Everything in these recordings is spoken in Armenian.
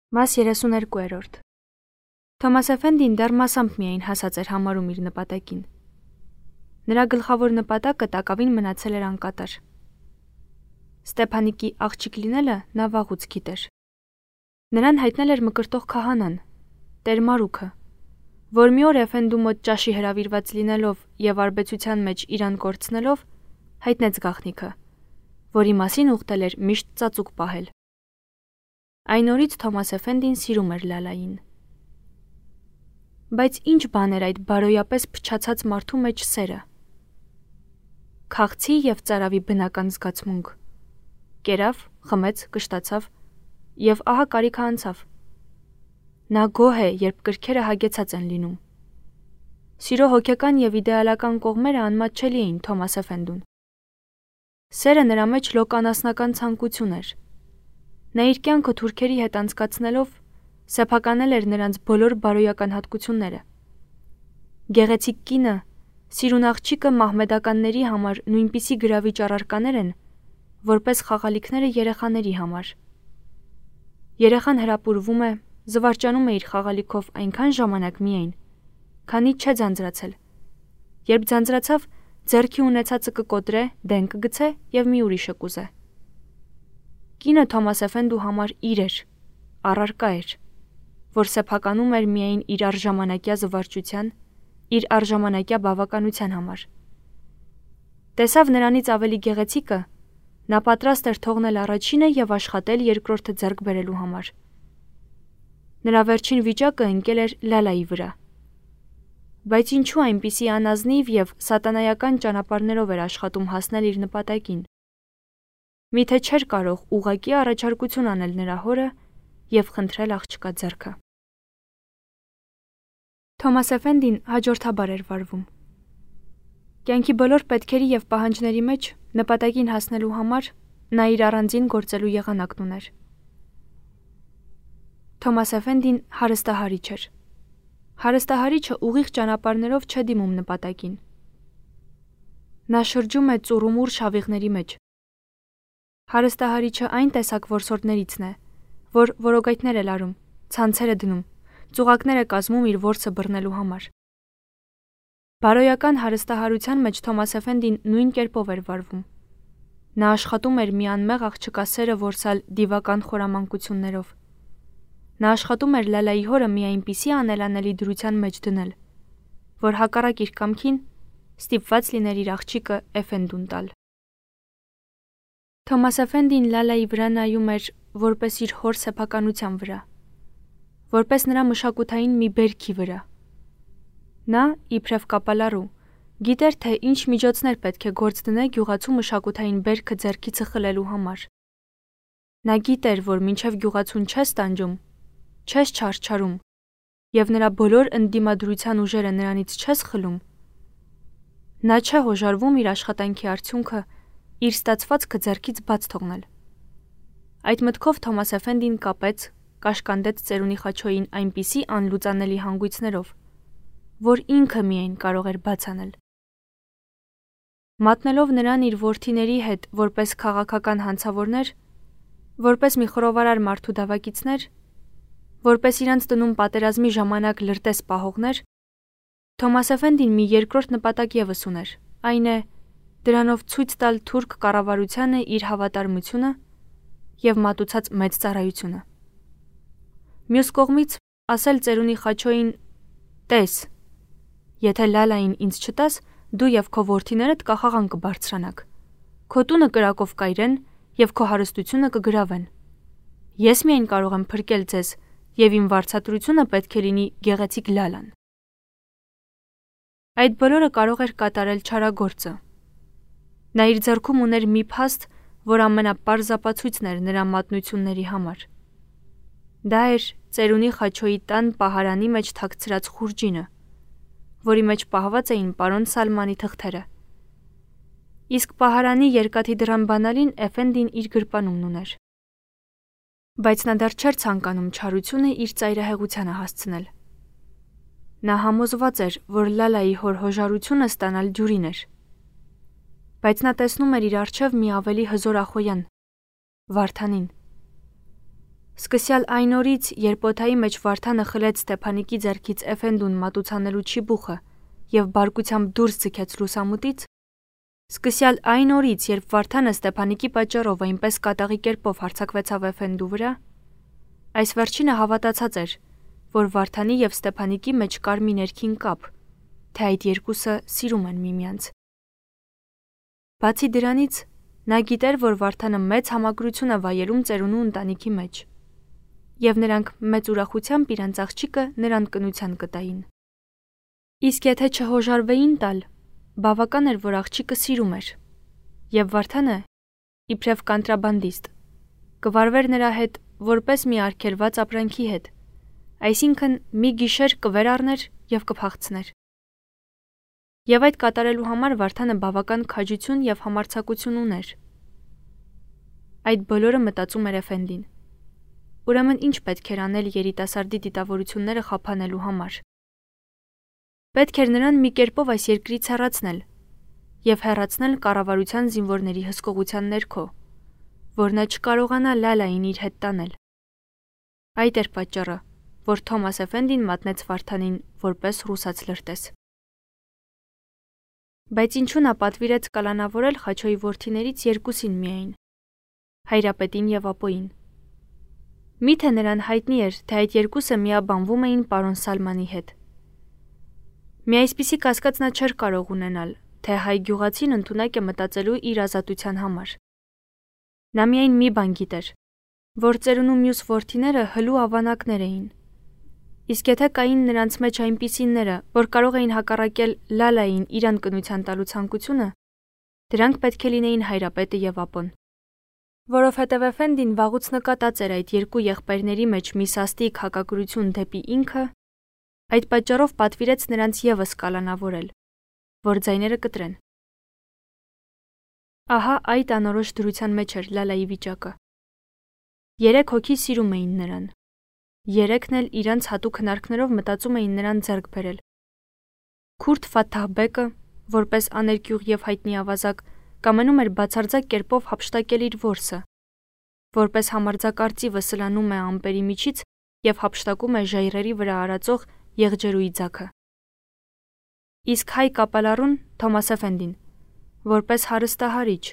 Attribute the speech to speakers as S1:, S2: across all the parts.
S1: Մաս 32. Թոմաս Էֆենդին դեռ մասամբ միայն հասած էր համարում իր նպատակին։ Նրա գլխավոր նպատակը տակավին մնացել էր անկատար։ Ստեփանիկի աղջիկ լինելը նա վաղուց գիտեր։ Նրան հայտնել էր մկրտող քահանան, Տեր Մարուքը, որ մի օր Էֆենդու մոտ ճաշի հրավիրված լինելով եւ արբեցության մեջ իրան կորցնելով, հայտնեց գաղտնիքը, որի մասին ուխտել էր միշտ ծածուկ պահել։ Այն օրից Թոմաս Էֆենդին սիրում էր Լալային։ Բայց ինչ բան էր այդ բարոյապես փչացած մարդու մեջ սերը։ Քաղցի եւ ծարավի բնական զգացմունք։ Կերավ, խմեց, կշտացավ եւ ահա կարիքը անցավ։ Նա գոհ է, երբ կրքերը հագեցած են լինում։ Սիրո հոգեկան եւ իդեալական կողմերը անմատչելի էին Թոմաս Էֆենդուն։ Սերը նրա մեջ լոկանասնական ցանկություն էր։ Նա իր կյանքը թուրքերի հետ անցկացնելով սեփականել էր նրանց բոլոր բարոյական հատկությունները։ Գեղեցիկ կինը, սիրուն աղջիկը մահմեդականների համար նույնպիսի գրավիչ առարկաներ են, որպես խաղալիքները երեխաների համար։ Երեխան հրապուրվում է, զվարճանում է իր խաղալիքով այնքան ժամանակ միայն, քանի չէ ձանձրացել։ Երբ ձանձրացավ, ձեռքի ունեցածը կկոտրե, դեն կգցե եւ մի ուրիշը կուզե։ Կինը Թոմաս Էֆենդու համար իր էր, առարկա էր, որ սեփականում էր միայն իր արժամանակյա զվարճության, իր արժամանակյա բավականության համար։ Տեսավ նրանից ավելի գեղեցիկը, նա պատրաստ էր թողնել առաջինը եւ աշխատել երկրորդը ձեռք բերելու համար։ Նրա վերջին վիճակը ընկել էր Լալայի վրա։ Բայց ինչու այնպիսի անազնիվ եւ սատանայական ճանապարհներով էր աշխատում հասնել իր նպատակին։ Միթե չէր կարող ուղղակի առաջարկություն անել նրա հորը եւ խնդրել աղջկա ձեռքը։ Թոմաս Էֆենդին հաջորդաբար էր վարվում։ Կյանքի բոլոր պետքերի եւ պահանջների մեջ նպատակին հասնելու համար նա իր առանձին գործելու եղանակն ուներ։ Թոմաս Էֆենդին հարստահարիչ էր։ Հարստահարիչը ուղիղ ճանապարհներով չէ դիմում նպատակին։ Նա շրջում է ծուռումուռ շավիղների մեջ։ Հարստահարիչը այն տեսակ որսորդներիցն է, որ որոգայթներ է լարում, ցանցեր է դնում, ծուղակներ է կազմում իր որսը բռնելու համար։ Բարոյական հարստահարության մեջ Թոմաս Էֆենդին նույն կերպով էր վարվում։ Նա աշխատում էր մի անմեղ աղջկա սերը որսալ դիվական խորամանկություններով։ Նա աշխատում էր Լալայի հորը մի այնպիսի անելանելի դրության մեջ դնել, որ հակառակ իր կամքին ստիպված լիներ իր աղջիկը Էֆենդուն տալ։ Թոմաս Էֆենդին Լալայի վրա նայում էր որպես իր հոր սեփականության վրա, որպես նրա մշակութային մի բերքի վրա։ Նա, իբրև կապալառու, գիտեր, թե ինչ միջոցներ պետք է գործ դնե գյուղացու մշակութային բերքը ձեռքիցը խլելու համար։ Նա գիտեր, որ մինչև գյուղացուն չես տանջում, չես չարչարում, եւ նրա բոլոր ընդդիմադրության ուժերը նրանից չես խլում, նա չէ հոժարվում իր աշխատանքի արդյունքը իր ստացվածքը ձեռքից բաց թողնել։ Այդ մտքով Թոմաս Էֆենդին կապեց, կաշկանդեց ծերունի խաչոյին այնպիսի անլուծանելի հանգույցներով, որ ինքը միայն կարող էր բաց անել։ Մատնելով նրան իր որդիների հետ որպես քաղաքական հանցավորներ, որպես մի խռովարար մարդու դավակիցներ, որպես իրանց տնում պատերազմի ժամանակ լրտես պահողներ, Թոմաս Էֆենդին մի երկրորդ նպատակ ևս ուներ, այն է դրանով ցույց տալ թուրք կառավարությանը իր հավատարմությունը եւ մատուցած մեծ ծառայությունը։ Մյուս կողմից ասել ծերունի խաչոյին. «Տես, եթե Լալային ինձ չտաս, դու եւ քո որդիներդ կախաղան կբարձրանաք։ Քո տունը կրակով կայրեն եւ քո հարստությունը կգրավեն։ Ես միայն կարող եմ փրկել ձեզ եւ իմ վարձատրությունը պետք է լինի գեղեցիկ Լալան»։ Այդ բոլորը կարող էր կատարել չարագործը։ Նա իր ձեռքում ուներ մի փաստ, որ ամենապարզ ապացույցն էր նրա մատնությունների համար։ Դա էր ծերունի խաչոյի տան պահարանի մեջ թաքցրած խուրջինը, որի մեջ պահված էին պարոն Սալմանի թղթերը։ Իսկ պահարանի երկաթի դռան բանալին Էֆենդին իր գրպանումն ուներ։ Բայց նա դեռ չէր ցանկանում չարությունը իր ծայրահեղությանը հասցնել։ Նա համոզված էր, որ Լալայի հոր հոժարությունը ստանալ դյուրին էր։ Բայց նա տեսնում էր իր առջև մի ավելի հզոր ախոյան՝ Վարդանին։ Սկսյալ այն օրից, երբ օդայի մեջ Վարդանը խլեց Ստեփանիկի ձեռքից Էֆենդուն մատուցանելու չիբուխը եւ բարկությամբ դուրս ձգեց լուսամուտից, սկսյալ այն օրից, երբ Վարդանը Ստեփանիկի պատճառով այնպես կատաղի կերպով հարձակվեցավ Էֆենդու վրա, այս վերջինը հավատացած էր, որ Վարդանի եւ Ստեփանիկի մեջ կար մի ներքին կապ, թե այդ երկուսը սիրում են միմյանց։ Բացի դրանից, նա գիտեր, որ Վարդանը մեծ համակրություն է վայելում ծերունու ընտանիքի մեջ, եւ նրանք մեծ ուրախությամբ իրենց աղջիկը նրան կնության կտային։ Իսկ եթե չհոժարվեին տալ, բավական էր, որ աղջիկը սիրում էր, եւ Վարդանը, իբրև կանտրաբանդիստ, կվարվեր նրա հետ որպես մի արգելված ապրանքի հետ, այսինքն մի գիշեր կվեր առներ եւ կփախցներ։ Եվ այդ կատարելու համար Վարդանը բավական քաջություն եւ համարձակություն ուներ։ Այդ բոլորը մտածում էր Էֆենդին։ Ուրեմն ինչ պետք էր անել երիտասարդի դիտավորությունները խափանելու համար։ Պետք էր նրան մի կերպով այս երկրից հեռացնել եւ հեռացնել կառավարության զինվորների հսկողության ներքո, որ նա չկարողանա Լալային իր հետ տանել։ Այդ էր պատճառը, որ Թոմաս Էֆենդին մատնեց Վարդանին որպես ռուսաց լրտես։ Բայց ինչու նա պատվիրեց կալանավորել Խաչոյի որդիներից երկուսին միայն՝ Հայրապետին եւ Ապոյին։ Միթե նրան հայտնի էր, թե այդ երկուսը միաբանվում էին պարոն Սալմանի հետ։ Մի այսպիսի կասկած նա չէր կարող ունենալ, թե հայ գյուղացին ընդունակ է մտածելու իր ազատության համար։ Նա միայն մի բան գիտեր, որ ծերունու մյուս որդիները հլու ավանակներ էին։ Իսկ եթե կային նրանց մեջ այնպիսիները, որ կարող էին հակառակել Լալային իրան կնության տալու ցանկությունը, դրանք պետք է լինեին Հայրապետը եւ Ապոն։ Որովհետև Էֆենդին վաղուց նկատած էր այդ երկու եղբայրների մեջ մի սաստիկ հակակրություն դեպի ինքը, այդ պատճառով պատվիրեց նրանց եւս կալանավորել, որ ձայները կտրեն։ Ահա այդ անորոշ դրության մեջ էր Լալայի վիճակը։ 3 հոգի սիրում էին նրան։ 3-ն էլ իրանց հատուկ հնարքներով մտածում էին նրան ձեռք բերել։ Քուրդ Ֆաթահբեկը, որպես աներկյուղ եւ հայտնի ավազակ, կամենում էր բացարձակ կերպով հափշտակել իր որսը, որպես համարձակարծիվը սլանում է ամպերի միջից եւ հափշտակում է ժայռերի վրա արածող եղջերուի ձագը։ Իսկ հայ կապալառուն Թոմաս Էֆենդին, որպես հարստահարիչ,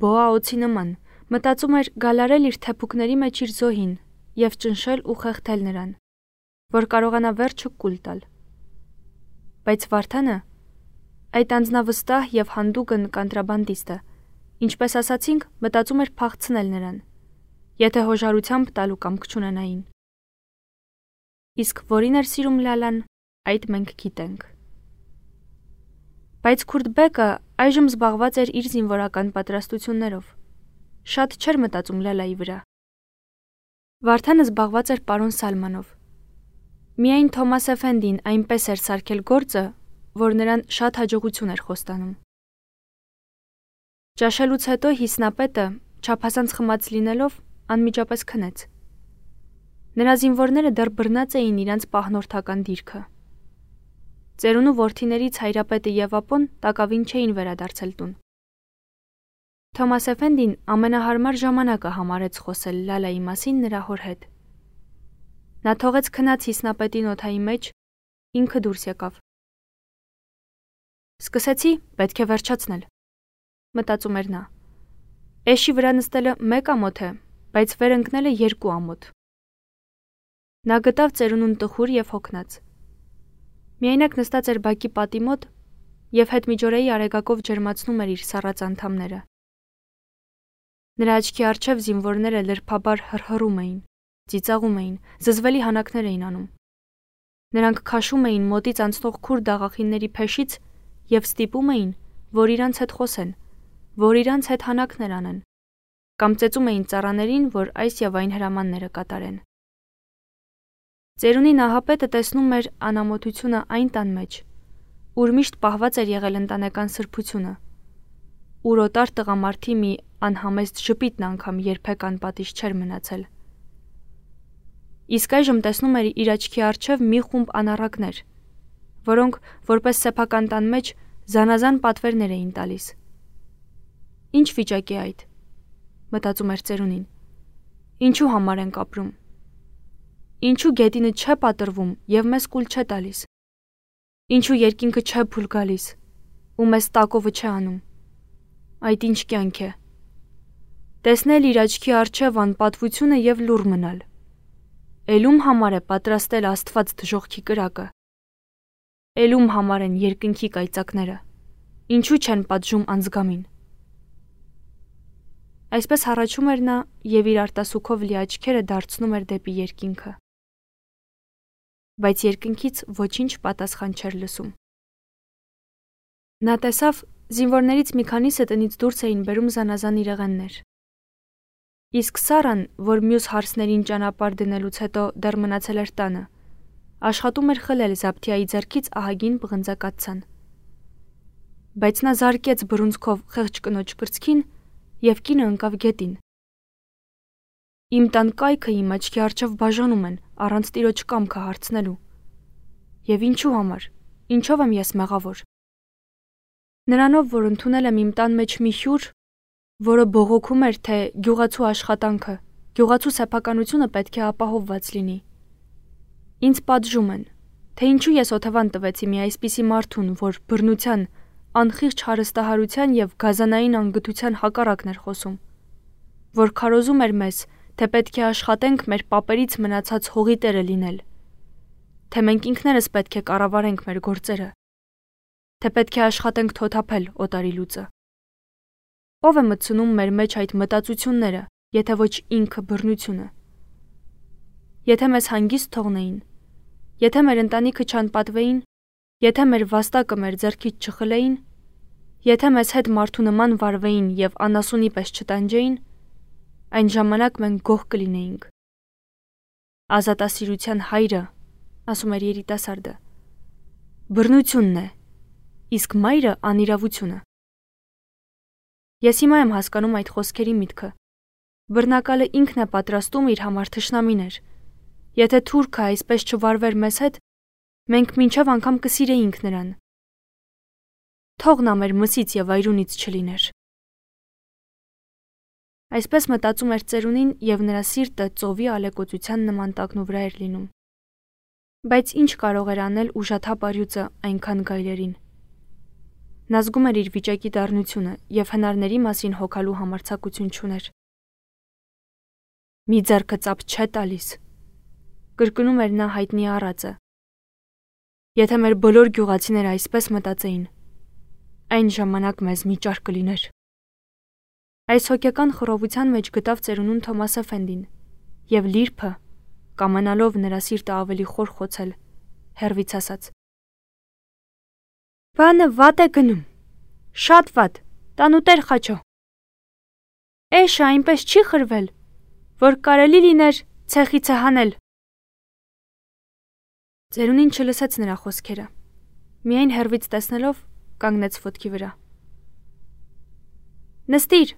S1: բոա օձի նման, մտածում էր գալարել իր թեփուկների մեջ իր զոհին եւ ճնշել ու խեղդել նրան, որ կարողանա վերջը կուլ տալ։ Բայց Վարդանը, այդ անձնավստահ եւ հանդուգն կանտրաբանդիստը, ինչպես ասացինք, մտածում էր փախցնել նրան, եթե հոժարությամբ տալու կամք չունենային։ Իսկ որին էր սիրում Լալան, այդ մենք գիտենք։ Բայց Քուրդբեկը այժմ զբաղված էր իր զինվորական պատրաստություններով։ Շատ չէր մտածում Լալայի վրա։ Վարդանը զբաղված էր պարոն Սալմանով։ Միայն Թոմաս Էֆենդին այնպես էր սարքել գործը, որ նրան շատ հաջողություն էր խոստանում։ Ճաշելուց հետո հիսնապետը, չափազանց խմած լինելով, անմիջապես քնեց։ Նրա զինվորները դեռ բռնած էին իրանց պահնորդական դիրքը։ Ծերունու որդիներից Հայրապետը եւ Ապոն տակավին չէին վերադարձել տուն։ Թոմաս Էֆենդին ամենահարմար ժամանակը համարեց խոսել Լալայի մասին նրա հոր հետ։ Նա թողեց քնած հիսնապետին օդայի մեջ, ինքը դուրս եկավ։ Սկսեցի, պետք է վերջացնել, մտածում էր նա։ Էշի վրա նստելը 1 ամոթ է, բայց վեր ընկնելը 2 ամոթ։ Նա գտավ ծերունուն տխուր եւ հոգնած։ Միայնակ նստած էր բակի պատի մոտ եւ հետմիջօրեի արեգակով ջերմացնում էր իր սառած անդամները։ Նրա աչքի առջև զինվորները լրփաբար հռհռում էին, ծիծաղում էին, զզվելի հանակներ էին անում։ Նրանք քաշում էին մոտից անցնող քուրդ աղախինների փեշից եւ ստիպում էին, որ իրանց հետ խոսեն, որ իրանց հետ հանակներ անեն, կամ ծեծում էին ծառաներին, որ այս եւ այն հրամանները կատարեն։ Ծերունի Նահապետը տեսնում էր անամոթությունը այն տան մեջ, ուր միշտ պահված էր եղել ընտանեկան սրբությունը, ուր օտար տղամարդի մի անհամեստ ժպիտն անգամ երբեք անպատիժ չէր մնացել։ Իսկ այժմ տեսնում էր իր աչքի առջև մի խումբ անառակներ, որոնք որպես սեփական տան մեջ զանազան պատվերներ էին տալիս։ Ինչ վիճակ է այդ, մտածում էր ծերունին։ Ինչու համար ենք ապրում։ Ինչու գետինը չէ պատրվում եւ մեզ կուլ չէ տալիս։ Ինչու երկինքը չէ փուլ գալիս ու մեզ տակովը չէ անում։ Այդ ինչ կյանք է։ Տեսնել իր աչքի առջև անպատվությունը եւ լուռ մնալ։ Էլում համար է պատրաստել Աստված դժողքի կրակը։ Էլում համար են երկնքի կայծակները։ Ինչու չեն պատժում անձգամին։ Այսպես հառաչում էր նա եւ իր արտասուքով լի աչքերը դարձնում էր դեպի երկինքը։ Բայց երկնքից ոչինչ պատասխան չէր լսում։ Նա տեսավ, զինվորներից մի քանիսը տնից դուրս էին բերում զանազան իրեղեններ։ Իսկ Սարան, որ մյուս հարսներին ճանապարհ դնելուց հետո դեռ մնացել էր տանը, աշխատում էր խլել Զաբթիայի ձեռքից ահագին պղնձակացան։ Բայց նա զարկեց բռունցքով խեղճ կնոջ կրծքին եւ կինը ընկավ գետին։ Իմ տան կայքը իմ աչքի առջև բաժանում են առանց տիրոջ կամքը հարցնելու։ Եվ ինչու համար, ինչով եմ ես մեղավոր։ Նրանով, որ ընդունել եմ իմ տան մեջ մի հյուր, որը բողոքում էր, թե գյուղացու աշխատանքը, գյուղացու սեփականությունը պետք է ապահովված լինի։ Ինձ պատժում են, թե ինչու ես օթևան տվեցի մի այսպիսի մարդուն, որ բռնության, անխիղճ հարստահարության եւ գազանային անգթության հակառակն էր խոսում, որ քարոզում էր մեզ, թե պետք է աշխատենք մեր պապերից մնացած հողի տերը լինել, թե մենք ինքներս պետք է կառավարենք մեր գործերը, թե պետք է աշխատենք թոթափել օտարի լուծը։ Ո՞վ է մտցնում մեր մեջ այդ մտածությունները, եթե ոչ ինքը բռնությունը։ Եթե մեզ հանգիստ թողնեին, եթե մեր ընտանիքը չանպատվեին, եթե մեր վաստակը մեր ձեռքից չխլեին, եթե մեզ հետ մարդու նման վարվեին եւ անասունի պես չտանջեին, այն ժամանակ մենք գող կլինեինք։ Ազատասիրության հայրը, ասում էր երիտասարդը, բռնությունն է, իսկ մայրը անիրավությունը։ Ես հիմա եմ հասկանում այդ խոսքերի միտքը։ Բռնակալը ինքն է պատրաստում իր համար թշնամիներ։ Եթե թուրքը այսպես չվարվեր մեզ հետ, մենք մինչև անգամ կսիրեինք նրան։ Թող նա մեր մսից եւ այրունից չլիներ։ Այսպես մտածում էր ծերունին եւ նրա սիրտը ծովի ալեկոծության նման տակնու վրա էր լինում։ Բայց ինչ կարող էր անել ուժաթափ առյուծը այնքան գայլերին։ Նա զգում էր իր վիճակի դառնությունը եւ հնարների մասին հոգալու համարձակություն չուներ։ Մի ձեռքը ծափ չէ տալիս, կրկնում էր նա հայտնի առածը։ Եթե մեր բոլոր գյուղացիները այսպես մտածեին, այն ժամանակ մեզ մի ճար կլիներ։ Այս հոգեկան խռովության մեջ գտավ ծերունուն Թոմաս Էֆենդին եւ լիրփը, կամենալով նրա սիրտը ավելի խոր խոցել, հեռվից ասաց. Բանը վատ է գնում, շատ վատ, տանուտեր խաչո։ Էշը այնպես չի խրվել, որ կարելի լիներ ցեխիցը հանել։ Ծերունին չլսեց նրա խոսքերը, միայն հեռվից տեսնելով կանգնեց ոտքի վրա։ Նստիր,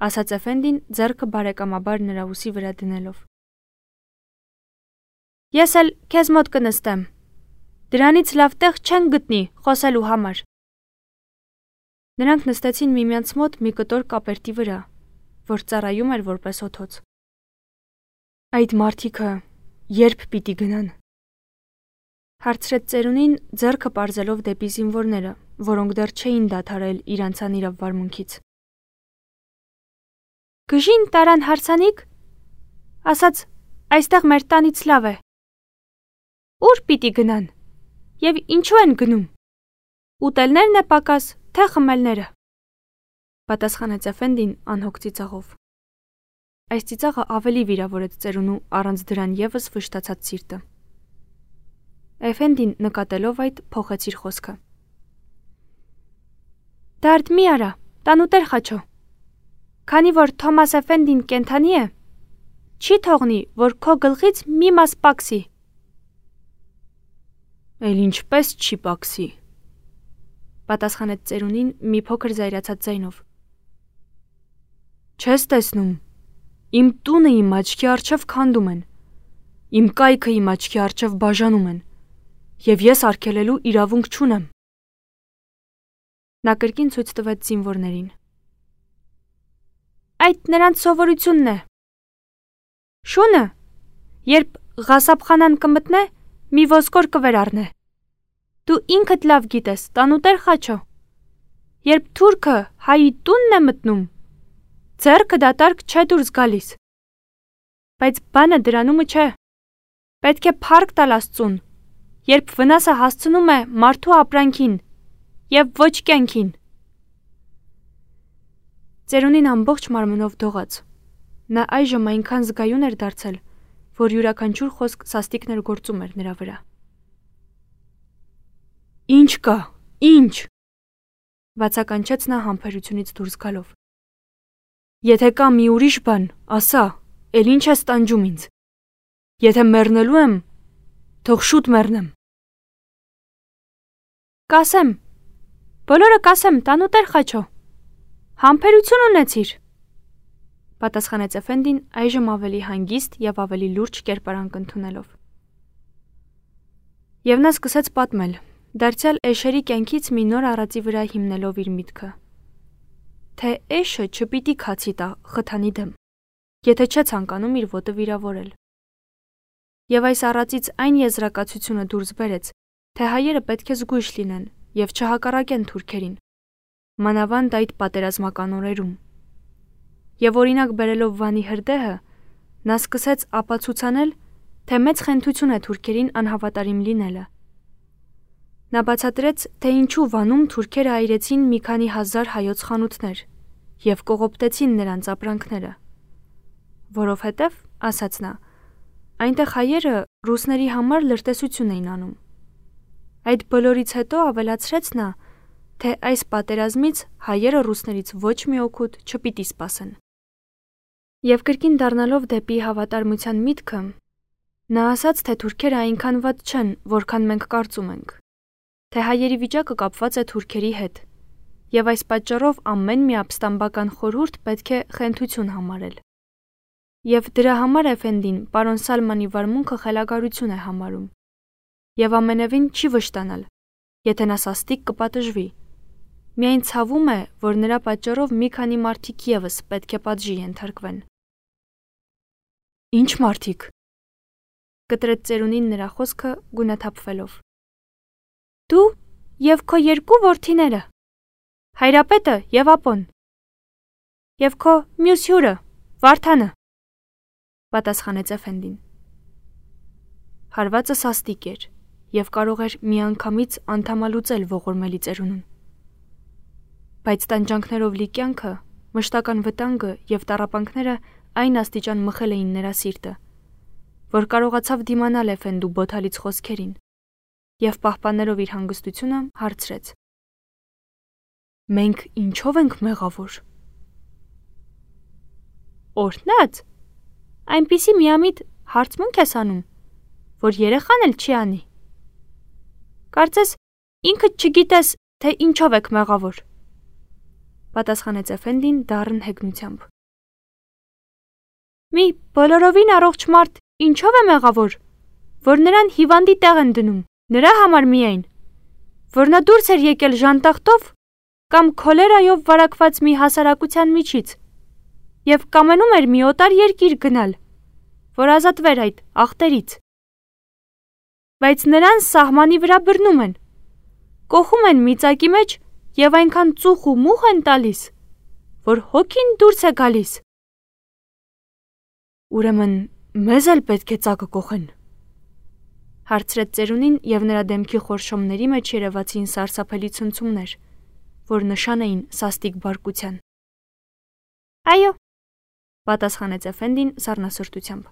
S1: ասաց Էֆենդին ձեռքը բարեկամաբար նրա ուսի վրա դնելով։ Ես էլ քեզ մոտ կնստեմ, դրանից լավ տեղ չեն գտնի խոսելու համար։ Նրանք նստեցին միմյանց մոտ մի կտոր կապերտի վրա, որ ծառայում էր որպես օթոց։ Այդ մարդիկը երբ պիտի գնան, հարցրեց ծերունին ձեռքը պարզելով դեպի զինվորները, որոնք դեռ չէին դադարել իրանց անիրավ վարմունքից։ Գժին տարան հարսանիք, ասաց, այստեղ մեր տանից լավ է։ Ուր պիտի գնան, եւ ինչու են գնում, ուտելներն է պակաս, թե խմելները, պատասխանեց Էֆենդին անհոգ ծիծաղով։ Այս ծիծաղը ավելի վիրավորեց ծերունու առանց դրան եւս վշտացած սիրտը։ Էֆենդին նկատելով այդ փոխեց իր խոսքը։ Դարդ մի արա, տանուտեր խաչո։ Քանի որ Թոմաս Էֆենդին կենթանի է, չի թողնի, որ քո գլխից մի մաս պակսի։ Էլ ինչպես չի պակսի, պատասխանեց ծերունին մի փոքր զայրացած ձայնով։ Չես տեսնում, իմ տունը իմ աչքի առջև քանդում են, իմ կայքը իմ աչքի առջև բաժանում են, եւ ես արգելելու իրավունք չունեմ։ Նա կրկին ցույց տվեց զինվորներին։ Այդ նրանց սովորությունն է, Շունը, երբ ղասապխանան կմտնե, մի ոսկոր կվեր առնե։ Դու ինքդ լավ գիտես, տանուտեր Խաչո։ Երբ թուրքը հայի տունն է մտնում, ձեռքը դատարկ չէ դուրս գալիս։ Բայց բանը դրանումը չէ։ Պետք է փառք տալ Աստծուն, երբ վնասը հասցնում է մարդու ապրանքին եւ ոչ կյանքին։ Ծերունին ամբողջ մարմնով դողաց։ Նա այժմ այնքան զգայուն էր դարձել, որ յուրաքանչյուր խոսք սաստիկներ գործում էր նրա վրա։ Ինչ կա, ինչ, բացականչեց նա համբերությունից դուրս գալով։ Եթե կա մի ուրիշ բան, ասա, էլ ինչ ես տանջում ինձ։ Եթե մեռնելու եմ, թող շուտ մեռնեմ։ Կասեմ, բոլորը կասեմ, տանուտեր Խաչո։ Համբերություն ունեցիր, պատասխանեց Էֆենդին այժմ ավելի հանգիստ եւ ավելի լուրջ կերպարանք ընդունելով։ Եվ նա սկսեց պատմել, դարձյալ Էշերի կյանքից մի նոր առածի վրա հիմնելով իր միտքը։ Թե Էշը չպիտի քացի տա խթանի դեմ, եթե չէ ցանկանում իր ոտը վիրավորել։ Եվ այս առածից այն եզրակացությունը դուրս բերեց, թե հայերը պետք է զգույշ լինեն եւ չհակառակեն թուրքերին, մանավանդ այդ պատերազմական օրերում։ Եվ օրինակ բերելով Վանի հրդեհը, նա սկսեց ապացուցանել, թե մեծ խենթություն է թուրքերին անհավատարիմ լինելը։ Նա բացատրեց, թե ինչու Վանում թուրքերը այրեցին մի քանի հազար հայոց խանութներ եւ կողոպտեցին նրանց ապրանքները։ Որովհետեւ, ասաց նա, այնտեղ հայերը ռուսների համար լրտեսություն էին անում։ Այդ բոլորից հետո ավելացրեց նա, թե այս պատերազմից հայերը ռուսներից ոչ մի օգուտ չպիտի սպասեն։ Եվ կրկին դառնալով դեպի հավատարմության միտքը, նա ասաց, թե թուրքերը այնքան վատ չեն, որքան մենք կարծում ենք, թե հայերի վիճակը կապված է թուրքերի հետ, եւ այս պատճառով ամեն մի ապստամբական խորհուրդ պետք է խենթություն համարել։ Եվ դրա համար Էֆենդին պարոն Սալմանի վարմունքը խելագարություն է համարում, եւ ամենևին չի վշտանալ, եթե նա սաստիկ կպատժվի։ Միայն ցավում է, որ նրա պատճառով մի քանի մարդիկ եւս պետք է պատժի ենթարկվեն։ Ինչ մարդիկ, կտրեց ծերունին նրա խոսքը գունաթափվելով։ Դու եւ քո երկու որդիները, հայրապետը եւ ապոն, եւ քո մյուս հյուրը, Վարդանը, պատասխանեց Էֆենդին։ Հարվածը սաստիկ էր եւ կարող էր միանգամից անդամալուծել ողորմելի ծերունուն։ Բայց տանջանքներով լի կյանքը, մշտական վտանգը եւ տառապանքները այն աստիճան մխել էին նրա սիրտը, որ կարողացավ դիմանալ Էֆենդու բոթալից խոսքերին եւ պահպանելով իր հանգստությունը հարցրեց. Մենք ինչով ենք մեղավոր։ Օրհնած, այնպիսի միամիտ հարցմունք ես անում, որ երեխան էլ չի անի։ Կարծես ինքդ չգիտես, թե ինչով եք մեղավոր, պատասխանեց Էֆենդին դառն հեգնությամբ։ Մի բոլորովին առողջ մարդ ինչով է մեղավոր, որ նրան հիվանդի տեղ են դնում, նրա համար միայն, որ նա դուրս էր եկել ժանտախտով կամ քոլերայով վարակված մի հասարակության միջից եւ կամենում էր մի օտար երկիր գնալ, որ ազատվեր այդ ախտերից։ Բայց նրան սահմանի վրա բռնում են, կոխում են միծակի մեջ եւ այնքան ծուխ ու մուխ են տալիս, որ հոգին դուրս է գալիս։ Ուրեմն մեզ էլ պետք է ծակը կոխեն, հարցրեց ծերունին եւ նրա դեմքի խորշոմների մեջ երևացին սարսափելի ցնցումներ, որ նշան էին սաստիկ բարկության։ Այո, պատասխանեց Էֆենդին սառնասրտությամբ։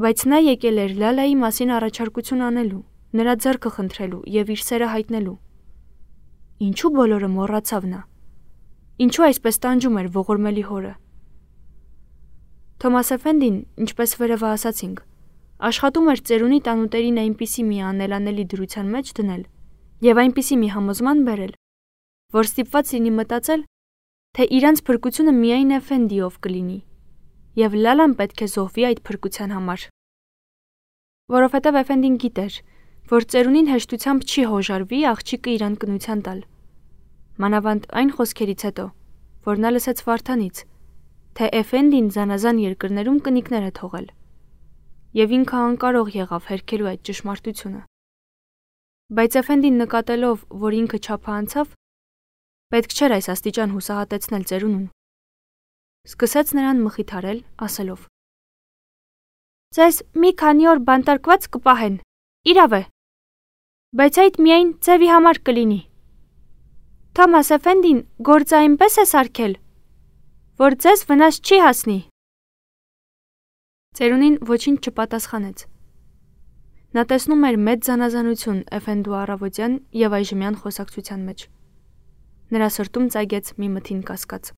S1: Բայց նա եկել էր Լալայի մասին առաջարկություն անելու, նրա ձեռքը խնդրելու եւ իր սերը հայտնելու։ Ինչու բոլորը մոռացավ նա։ Ինչու այսպես տանջում էր ողորմելի հորը։ Թոմաս Էֆենդին, ինչպես վերևը ասացինք, աշխատում էր ծերունի տանուտերին այնպիսի մի անելանելի դրության մեջ դնել եւ այնպիսի մի համոզման բերել, որ ստիպված լինի մտածել, թե իրանց փրկությունը միայն Էֆենդիով կլինի եւ Լալան պետք է զոհվի այդ փրկության համար։ Որովհետեւ Էֆենդին գիտեր, որ ծերունին հեշտությամբ չի հոժարվի աղջիկը իրան կնության տալ։ Մանավանդ այն խոսքերից հետո, որ նա լսեց Վարդանից, թե Էֆենդին զանազան երկրներում կնիկներ է թողել, եւ ինքը անկարող եղավ հերքելու այդ ճշմարտությունը։ Բայց Էֆենդին նկատելով, որ ինքը չափը անցավ, պետք չէր այս աստիճան հուսահատեցնել ծերունուն։ Սկսեց նրան մխիթարել, ասելով. «Ձեզ մի քանի օր բանտարկված կպահեն, իրավ է, բայց այդ միայն ձևի համար կլինի։ Թոմաս Էֆենդին գործը այնպես է սարքել, որ ձեզ վնաս չի հասնի»։ Ծերունին ոչինչ չպատասխանեց։ Նա տեսնում էր մեծ զանազանություն Էֆենդու առավոտյան եւ այժմյան խոսակցության մեջ։ Նրա սրտում ծագեց մի մթին կասկած։